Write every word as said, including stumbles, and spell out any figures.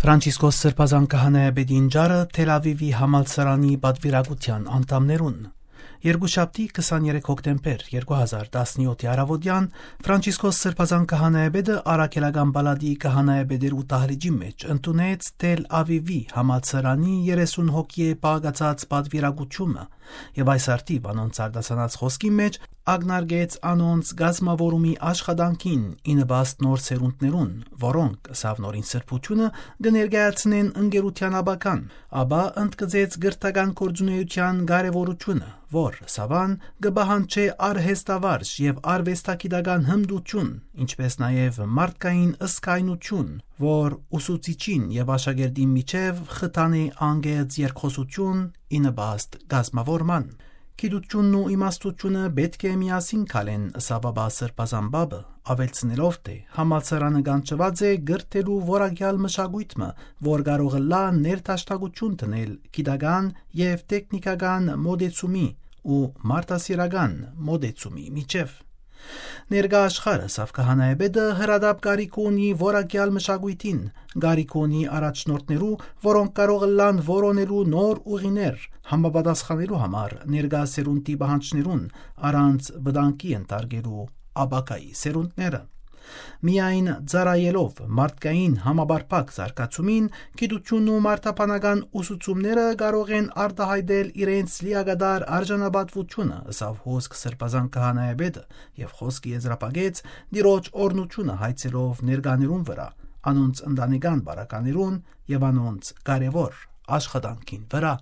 Ֆրանցիսկոս Սրբազան Քահանայապետին ճառը Թել Ավիվի համալսարանի պատուիրակութեան անդամներուն։ Երկուշաբթի, քսաներեք հոկտեմբեր երկու հազար տասնյոթ առավոտեան, Ֆրանցիսկոս Սրբազան Քահանայապետը առաքելական պալատի քահանայապետերու դահլիճի մէջ ընդունեց Թել Ավիվի համալսարանի երեսուն հոգիէ պահակացած պատուիրակութիւնը, եւ այս առթիւ անոնց արտասանած խօսքի մէջ ակնարկեց անոնց կազմաւորումի աշխատանքին ի նպաստ նոր սերունդներուն, որոնք, ըսաւ նորին սրբութիւնը, կը ներկայացնեն ընկերութեան ապագան, ապա ընդգծեց կրթական գործունեութեան կարեւորութիւնը, որ, ըսաւ ան, կը պահանջէ արհեստավարժ եւ արուեստագիտական հմտութիւն, ինչպէս նաեւ մարդկային ըսկայնութիւն, որ ուսուցիչին եւ աշակերտին միջեւ խթանէ անկեղծ երկխօսութիւն ի նպաստ կազմաւորման։ Գիտութիւնն ու իմաստութիւնը պէտք է միասին քալեն, ըսաւ ապա Սրբազան Պապը, աւելցնելով թէ համալսարանը կանչուած է կրթելու որակեալ մշակոյթ մը, որ կարող ըլլայ ներդաշնակութիւն դնել գիտական եւ տեխնիկական մօտեցումի ու մարդասիրական մօտեցումի միջեւ։ Ներկայ աշխարհը, ըսաւ քահանայապետը, հրատապ կարիք ունի որակեալ մշակոյթին, կարիք ունի առաջնորդներու, որոնք կարող ըլլան որոնելու նոր ուղիներ, համապատասխանելու համար ներկայ սերունդի պահանջներուն, առանց վտանգի ենթարկելու ապագայի սերունդները։ Միայն ծառայելով մարդկային համապարփակ զարգացումին, գիտութիւնն ու մարդաբանական ուսուցումները կարող են արտայայտել իրենց լիակատար արժանապատուութիւնը, ըսաւ հոսք Սրբազան Քահանայապետը եւ խօսքը եզրափակեց Տիրոջ օրհնութիւնը հայցելով ներկաներուն վրայ, անոնց ընտանեկան բարականերուն եւ անոնց կարեւոր աշխատանքին վրայ։